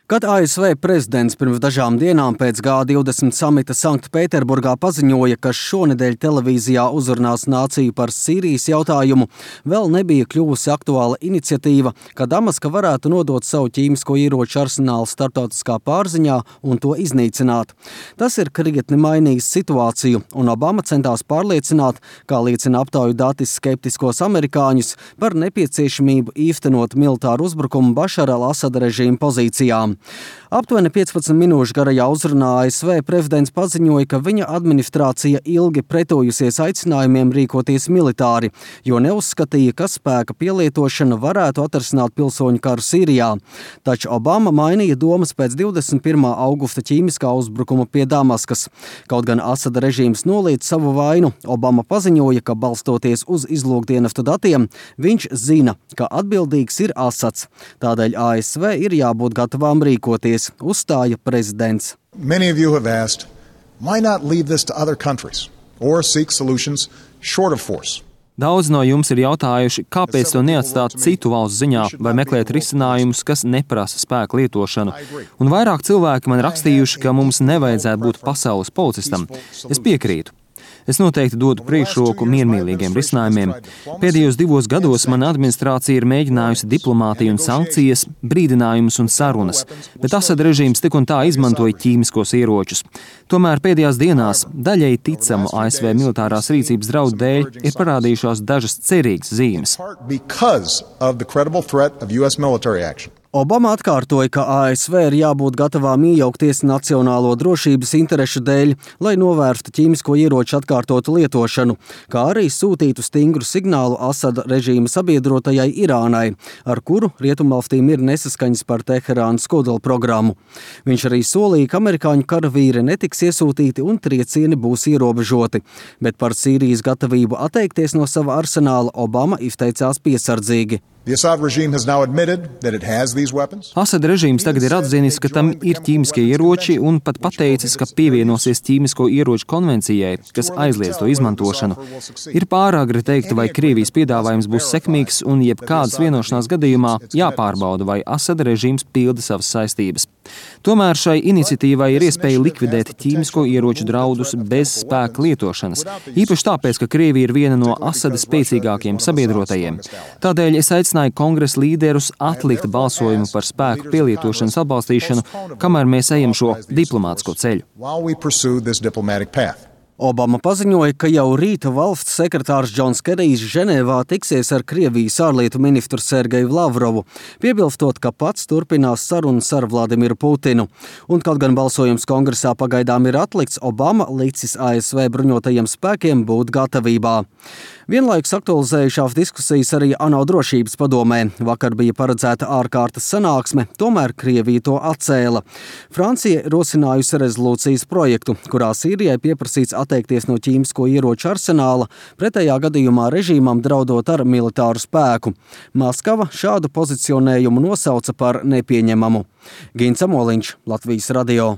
Kad ASV prezidents pirms dažām dienām pēc G20 samita Sanktpēterburgā paziņoja, ka šonedēļ televīzijā uzrunās nāciju par Sīrijas jautājumu, vēl nebija kļuvusi aktuāla iniciatīva, ka Damaska varētu nodot savu ķīmisko ieroču arsenālu starptautiskā pārziņā un to iznīcināt. Tas ir krietni mainījis situāciju, un Obama centās pārliecināt, kā liecina aptauju dati, skeptiskos amerikāņus par nepieciešamību īstenot militāru uzbrukumu Bašara al-Asada režīma pozīcijām. Aptuveni 15 minūšu garajā uzrunā ASV prezidents paziņoja, ka viņa administrācija ilgi pretojusies aicinājumiem rīkoties militāri, jo neuzskatīja, ka spēka pielietošana varētu atrisināt pilsoņu karu Sīrijā. Taču Obama mainīja domas pēc 21. augusta ķīmiskā uzbrukuma pie Damaskas. Kaut gan Asada režīms noliedz savu vainu, Obama paziņoja, ka balstoties uz izlūkdienestu datiem, viņš zina, ka atbildīgs ir Asads. Tādēļ ASV ir jābūt gatavām rīkoties, uzstāja prezidents. Many of you have asked, why not leave this to other countries or seek solutions short of force? Daudz no jums ir jautājuši, kāpēc to neatstāt citu valstu ziņā vai meklēt risinājumus, kas neprasa spēku lietošanu. Un vairāk cilvēki man rakstījuši, ka mums nevajadzētu būt pasaules policistam. Es piekrītu. Es noteikti dodu priekšroku miermīlīgiem risinājumiem. Pēdējos 2 gados mana administrācija ir mēģinājusi diplomātiju un sankcijas, brīdinājumus un sarunas, bet Asada režīms tik un tā izmantoja ķīmiskos ieročus. Tomēr pēdējās dienās daļēji ticamu ASV militārās rīcības draudu dēļ ir parādījušās dažas cerīgas zīmes. Obama atkārtoja, ka ASV ir jābūt gatavām iejaukties nacionālo drošības interešu dēļ, lai novērstu ķīmisko ieroču atkārtotu lietošanu, kā arī sūtītu stingru signālu Asada režīma sabiedrotajai Irānai, ar kuru rietumvalstīm ir nesaskaņas par Teherānas kodolprogrammu. Viņš arī solīja, ka amerikāņu karavīri netiks iesūtīti un triecieni būs ierobežoti, bet par Sīrijas gatavību atteikties no sava arsenāla Obama izteicās piesardzīgi. Asada režīms tagad ir atzinis, ka tam ir ķīmiskie ieroči un pat pateicis, ka pievienosies ķīmisko ieroču konvencijai, kas aizliedz to izmantošanu. Ir pāragri teikt, vai Krievijas piedāvājums būs sekmīgs un jebkādas vienošanās gadījumā jāpārbauda, vai Asada režīms pilda savas saistības. Tomēr šai iniciatīvai ir iespēja likvidēt ķīmisko ieroču draudus bez spēka lietošanas, īpaši tāpēc, ka Krievija ir viena no Asada spēcīgākajiem sabiedrotajiem. Tādēļ es aicināju kongresa līderus atlikt balsojumu par spēku pielietošanas atbalstīšanu, kamēr mēs ejam šo diplomātisko ceļu. Obama paziņoja, ka jau rīta valsts sekretārs Džons Kerijs Ženēvā tiksies ar Krievijas ārlietu ministru Sergeju Lavrovu, piebilstot, ka pats turpinās sarunas ar Vladimiru Putinu. Un kaut gan balsojums kongresā pagaidām ir atlikts, Obama licis ASV bruņotajiem spēkiem būt gatavībā. Vienlaikus aktualizējušās diskusijas arī ANO drošības padomē. Vakar bija paredzēta ārkārtas sanāksme, tomēr Krievija to atcēla. Francija rosinājusi rezolūcijas projektu, kurā Sīrijai pieprasīts atteikties no ķīmisko ieroču arsenāla, pretējā gadījumā režīmam draudot ar militāru spēku. Maskava šādu pozicionējumu nosauca par nepieņemamu. Gins Amoliņš, Latvijas radio.